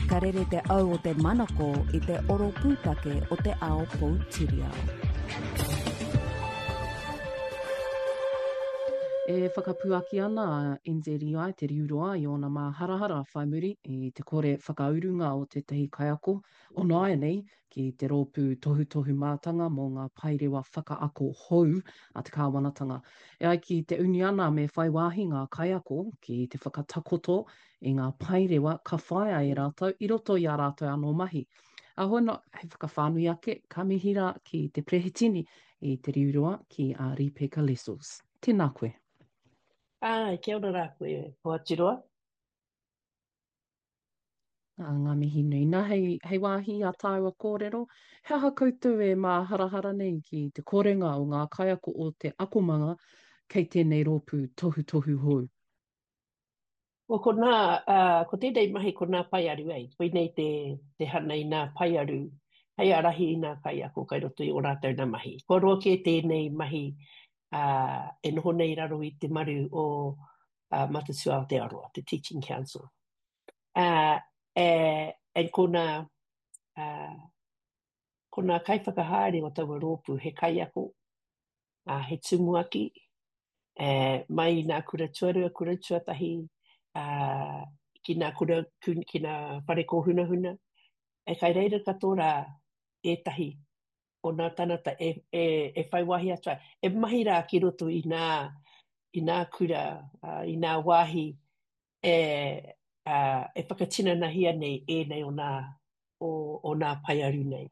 Ka rere te au o te manako i te oro pūtake o te ao poutiriao. E whakapuaki ana a NZEI Te Riu Roa i ōna māharahara whai muri i te kore whakaurunga o tētahi kaiako o nāianei ki te Rōpū Tohutohu Mātanga mō ngā Paerewa Whakaako Hou a te Kāwanatanga. E ai ki te uniana me whai wāhi ngā kaiako ki te whakatakoto i ngā paerewa ka whāia e rātou i roto i ā rātou anō mahi. Ahono, hei whakawhānui ake, ka mihi rā ki te Perehitini i Te Riu Roa ki a Ripeka Lessels. Tēnā koe. Āe, kia ora rā koe, Hoaturoa. Ā, ngā mihi nui. Nā, hei, hei wāhi i a tāua kōrero, he aha koutou e māharahara nei ki te korenga o ngā kaiako o te akomanga kei tēnei rōpū tohutohu hou? Well, ko nā, uh, ko tēnei mahi ko nā paearu ei. Koinei te, te hana i nā paearu hei ārahi i nā kaiako kai roto i ō rātou nā mahi. Kua roa kē tēnei mahi uh, e noho nei i raro i te maru o uh, Matatū Aotearoa, te Teaching Council. Uh, e, and ko nā, uh, ko nā kaiwhakahaere o taua rōpū he kaiako, uh, he tumuaki, e, mai i nā kura tuarua, kura tuatahi, uh, ki nā kura, ki nā whare kōhunahuna. E kai reira katoa rā ētahi o nā tāngata e, e, e whai wāhi atu ai, e mahi rā ki roto i nā, i nā kura, uh, i nā wāhi e, uh, e whakatinanahia nei ēnei o nā, o, o nā paearu nei.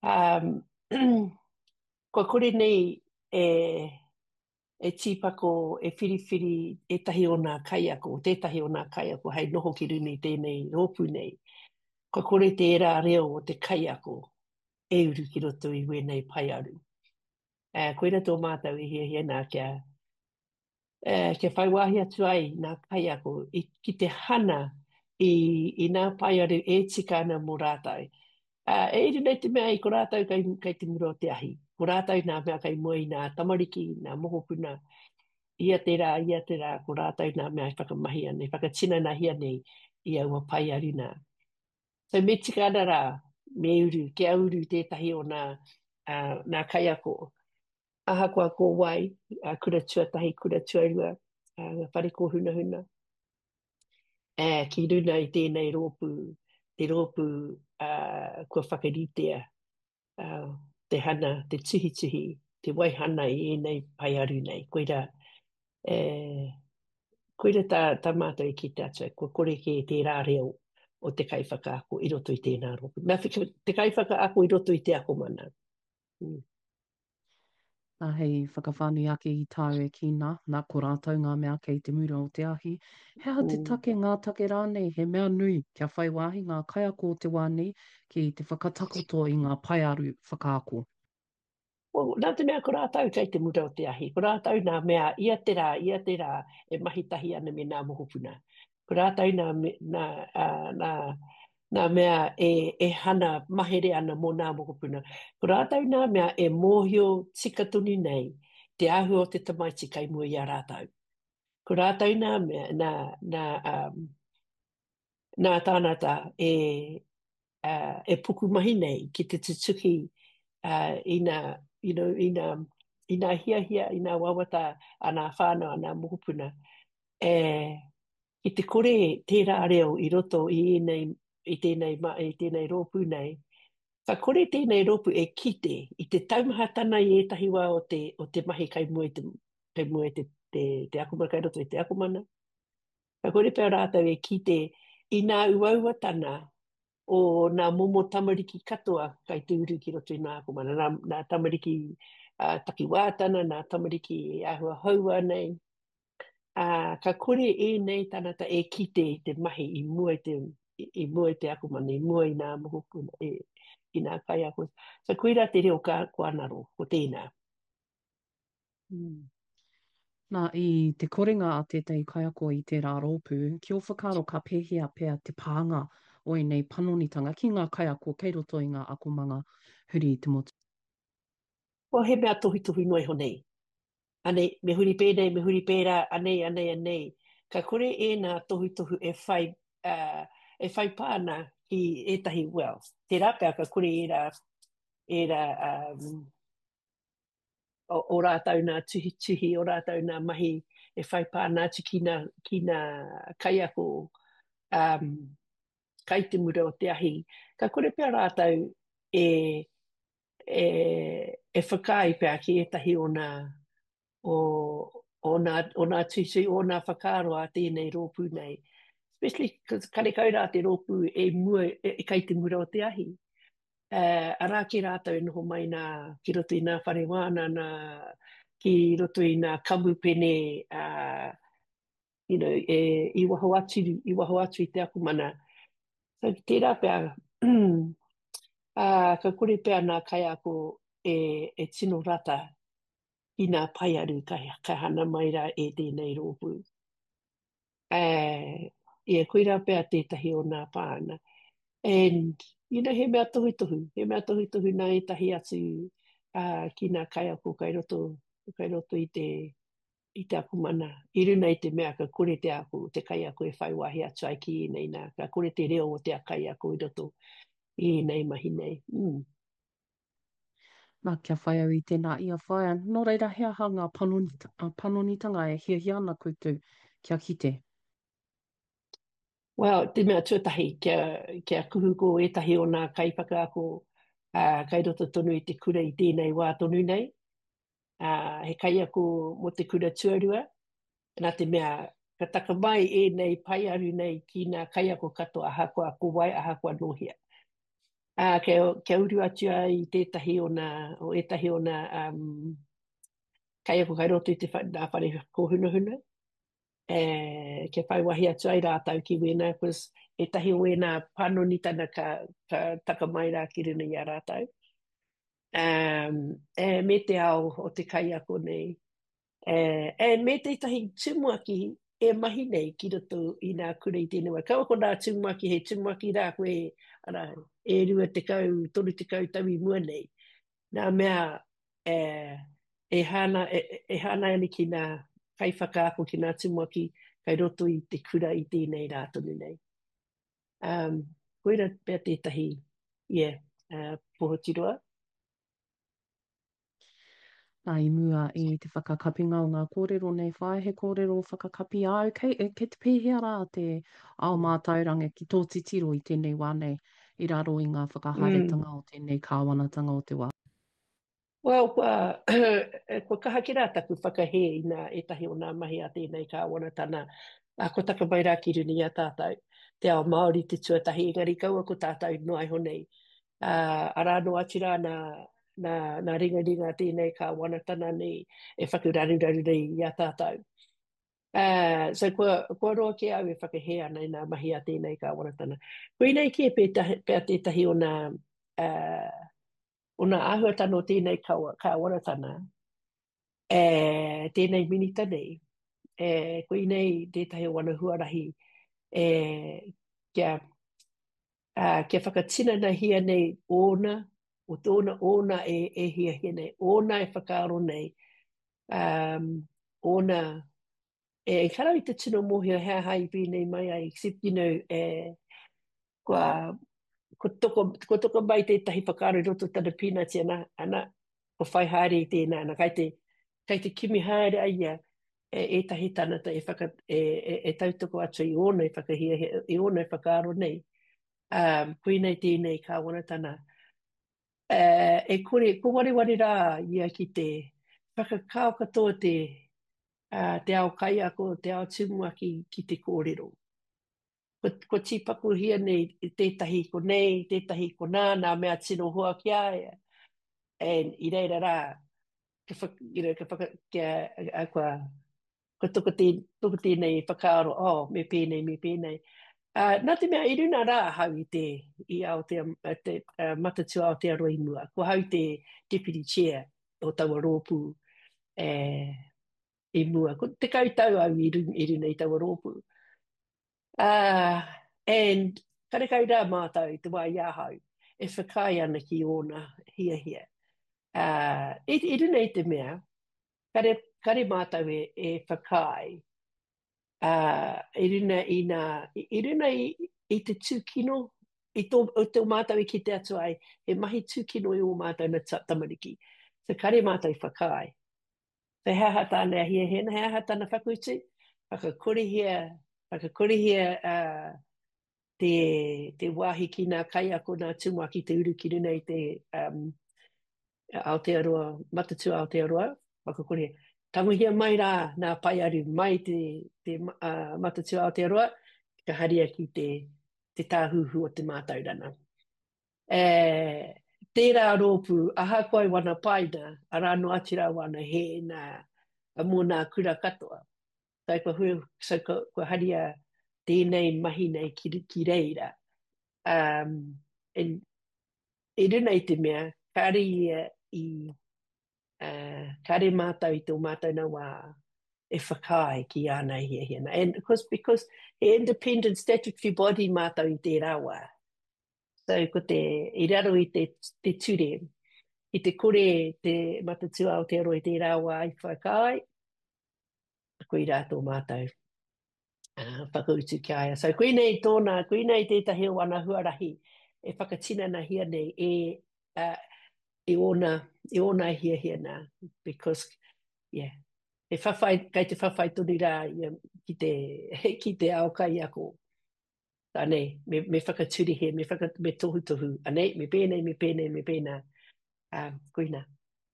Um, kua kore nei e, e tīpako, e whiriwhiri ētahi o nā kaiako, tētahi o nā kaiako hei noho ki runga i tēnei rōpū nei. Kua kore tērā reo o te kaiako e uru ki roto i wēnei paearu. Uh, koira tō mātou i hiahia nā kia, eh, kia whai wāhi atu ai nā kaiako i, ki te hana i, i nā paearu e tika ana mō rātou. Uh, e iri nei te mea i ko rātou kei, kei te mura o te ahi. Ko rātou nā mea kei mua i nā tamariki, nā mokopuna, ia te rā, ia te rā, ko rātou nā mea e whakamahi ana, e whakatinanahia nei i aua paearu nā. So me tika ana rā, me uru, kia uru tētahi o nā, uh, nā kaiako. Ahakoa ko wai, uh, kura tuatahi, kura tuarua, uh, whare kōhunahuna, uh, ki runa i tēnei rōpū, te rōpū uh, kua whakaritea uh, te hana, te tuhituhi, te waihana i ēnei paearu nei. Koira, e, koira tā, tā mātou i kite atu ai, kua kore kē tērā reo o te kaiwhakaako i roto i tēnā rōpū. Nā, te kaiwhakaako i roto i te akomana. Mm. Nā, hei whakawhānui ake i tāu e kī nā, nā, ko rātou ngā mea kei te mura o te ahi. He aha te take, ngā take rānei, he mea nui kia whai wāhi ngā kaiako o te wā nei ki te whakatakoto i ngā paearu whakaako? Well, nā te mea ko rātou kei te mura o te ahi, ko rātou nā mea ia te rā, ia te rā e mahi tahi ana me nā mokopuna. Ko rātou nā, nā, nā, nā mea e, e hana mahere ana mō nā mokopuna. Ko rātou nā mea e mōhio tika tonu nei te āhua o te tamaiti kei mua i a rātou. Ko rātou nā mea, nā, nā, um, nā tānata e, uh, e pukumahi nei ki te tutuki uh, i nā, you know, i nā, i nā hiahia, i nā wawata a nā whānau, a nā mokopuna. E, Ki te kore tērā reo i roto i ēnei, i tēnei, i tēnei rōpū nei, ka kore tēnei rōpū e kite i te taumahatana i ētahi wā o te, o te mahi kei mua i te, kei mua i te, te, te akomana, kei roto i te akomana. Ka kore pea rātou e kite i nā uauatana o nā momo tamariki katoa kai te uru ki roto i nā akomana, nā, nā tamariki uh, takiwātana, nā tamariki āhua houa nei, Ā, ka kore ēnei tangata e kite i te mahi i mua i te, i mua i te akomanga, i mua i nā mokopuna, i, i nā kaiako. So koirā te reo ka, kua ngaro, ko tēnā. Mm. Nā, i te korenga a tētahi kaiako i tērā rōpū, ki ō whakaaro ka pēhea pea te pānga o ēnei panonitanga ki ngā kaiako kei roto i ngā akomanga huri i te motu? Well, he mea tohutohu noa iho nei. Anei, me huri pēnei, me huri pērā, anei, anei, anei. Ka kore ēnā tohutohu e whai, uh, e whai pā ana ki ētahi, well, tērā pea ka kore ērā, ērā um, o, o rātou nā tuhituhi, o rātou nā mahi e whai pā ana atu ki nā, ki nā kaiako um, kai te mura o te ahi, ka kore pea rātou e, e, e whakaae pea ki ētahi o nā, o, o nā, o nā tuitui, o nā whakaaro a tēnei rōpū nei. Especially, cause karekau rā te rōpū e mua, e, e kai te mura o te ahi. Uh, arā kē rātou e noho mai nā ki roto i nā whare wānana, ki roto i nā kamupene, uh, you know, e, i waho atu, i waho atu i te akomana. So, tērā pea, uh, ka kore pea nā kaiako e, e tino rata ki nā paearu ka, ka hana mai rā e tēnei rōpū. Uh, yeah, koirā pea tētahi o nā pāna. And, you know, he mea tohutohu, he mea tohutohu nā ētahi atu uh, ki nā kaiako kai roto, kai roto i te, i te akomana, i runa i te mea ka kore te ako, te kaiako e whai wāhi atu ai ki ēnei nā, ka kore te reo o te kaiako i roto i ēnei mahi nei. Mm. Nā, kia whai au i tēnā ia whaea. Nō reira, he aha ngā panonitanga e hiahia ana koutou kia kite? Well, te mea tuatahi, kia, kia kuhu ko ētahi o nā kaiwhakaako uh, kai roto tonu i te kura i tēnei wā tonu nei. Uh, he kaiako mō te kura tuarua, nā te mea ka taka mai ēnei paearu nei ki nā kaiako katoa ahakoa ko wai, ahakoa nō hea. Ā, kia, kia uru atu ai i tētahi o nā, o ētahi o nā um, kaiako kai roto i te wha, nā whare kōhunahuna, e, kia whai wahi atu ai rātou ki wēnā, cause ētahi o wēnā panonitana ka, ka taka mai rā ki runa i a rātou. Um, e, me te ao o te kaiako nei, E, and me tētahi tumuaki e mahi nei ki roto i nā kura i tēnei wā. Kaua ko nā tumuaki, he tumuaki rā koe, arā, e 20, 30 tau i mua nei. Nā mea, e, e hāna, e, e hāngai ana ki nā kaiwhakaako, ki nā tumuaki kai roto i te kura i tēnei rā tonu nei. Um, koira pea tētahi, yeah, uh, pohotiroa. Nā, i mua i te whakakapinga o ngā kōrero nei, whāia he kōrero whakakapi āu, kei, e, kei te pēhea rā te ao mātauranga ki tō titiro i tēnei wā nei, i raro i ngā whakahaeretanga mm. o tēnei kāwanatanga o te wā? Well, kua, kua kaha ki rā taku whakahē i nā ētahi o nā mahi a tēnei kāwanatana, a kua taka mai rā ki runa i a tātou, te ao Māori te tuatahi, engari kaua ko tātou noa iho nei. Ā, arā noa atu rā nā, nā, nā ringaringa tēnei kāwanatana nei e whakararuraru nei i a tātou. Ā, so kua, kua roa kē au e whakahē ana i nā mahi a tēnei kāwanatana. Koinei kē pētahi, pea tētahi o nā, ā, o nā āhuatana o tēnei kawa, kāwanatana, e, tēnei minita nei, e, koinei tētahi o ana huarahi e, kia, ā, kia whakatinanahia nei ōna, o tōna, ōna e, e hiahia nei, ōna e whakaaro nei, um, ōna, e, ehara i te tino mōhio he aha i pēnei mai ai, except, you know, e, kua, ko toko, ko toko mai tētahi whakaaro i roto tana pīnati ana, ana, ko whai haere i tēnā, ana, kai te, kai te kimi haere a ia e ētahi tangata e, whaka, e, e, e tautoko atu i ōna e whakahiahia, i ōna e whakaaro nei, um, koinei tēnei kāwanatana. Uh, e kore, ko wareware rā ia ki te whakakao katoa te, uh, te ao kaiako, te ao tumuaki ki te kōrero. Ko, ko tīpakohia nei tētahi ko nei, tētahi ko nā, nā mea tino hoa ki a ia. And i reira rā, ka whaka, you know, ka whaka, kia, a, kua, kua toko, tē, toko tēnei whakaaro, oh, me pēnei, me pēnei. Uh, nā te mea, i runa rā ahau i te, i Aotea, te uh, Matatū Aotearoa i mua. Ko ahau te deputy chair o taua rōpū eh, i mua. Ko 10 tau au i, run, i runa i taua rōpū. Uh, and karekau rā mātou i te wā i ahau e whakaae ana ki ōna hiahia. Uh, i, i runa i te mea, kare, kare mātou e, e whakaae uh, i runa i nā, i, i runa i, I te tūkino, i tō, i tō mātou i kite atu ai, he mahi tūkino i ō mātou na tamariki. So kare mātou i whakaae. So he aha tāna e hiahia ana, he aha tāna whakautu? Whakakorehia, whakakorehia uh, te, te wāhi ki nā kaiako, nā tumuaki te uru ki runa i te um, Aotearoa, Matatū Aotearoa, whakakorehia. Tangohia mai rā nā paearu mai te, te uh, Matatū Aotearoa, ka haria ki te, te tāhuhu o te mātauranga. E, tērā rōpū, ahakoa i wana paina, arā noa atu rā wana hē nā, mō nā kura katoa. So, kua, hui, so, kua, kua haria tēnei mahi nei ki, ki reira. Um, and, i runa i te mea, kāre ia i, uh, kāre mātou i tō mātou nā wā e whakaae ki āna e hiahia ana. And of course, because he independent statutory body mātou i tērā wā. So ko te, i raro i te, te ture, i te kore te Matatū Aotearoa i tērā wā i whakaae, koirā tō mātou uh, whakautu ki a ia. So koinei tōna, koinei tētahi o ana huarahi e whakatinanahia nei e, uh, e ōna, e ōna hiahia nā. Because, yeah, he whawhai, kei te whawhai tonu rā ia ki te, ki te ao kaiako. Anei, me, me whakaturihe, me, whaka, me tohutohu, anei, me pēnei, me pēnei, me pēnā. Um, koina.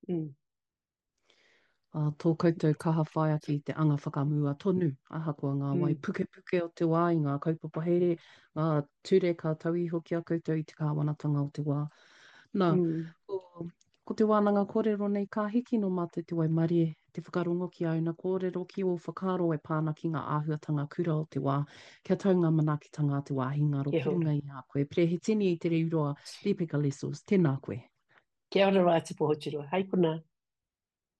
Mm. Ā, tō koutou kaha whai atu i te anga whakamua tonu, ahakoa ngā wai mm. pukepuke o te wā i ngā kaupapa here, ngā ture ka tau iho ki a koutou i te kāwanatanga o te wā. Nā, mm. ko, ko te wānanga kōrero nei ka hiki nō mātou te waimarie, te whakarongo ki āuna kōrero, ki ō whakaaro e pā ana ki ngā āhuatanga kura o te wā, kia tau ngā manaakitanga a te wāhi ngaro ki runga i a koe. Perehitini i te Riuroa, Ripeka Lessels, tēnā koe. Kia ora rā te Pohoturoa. Hai konā.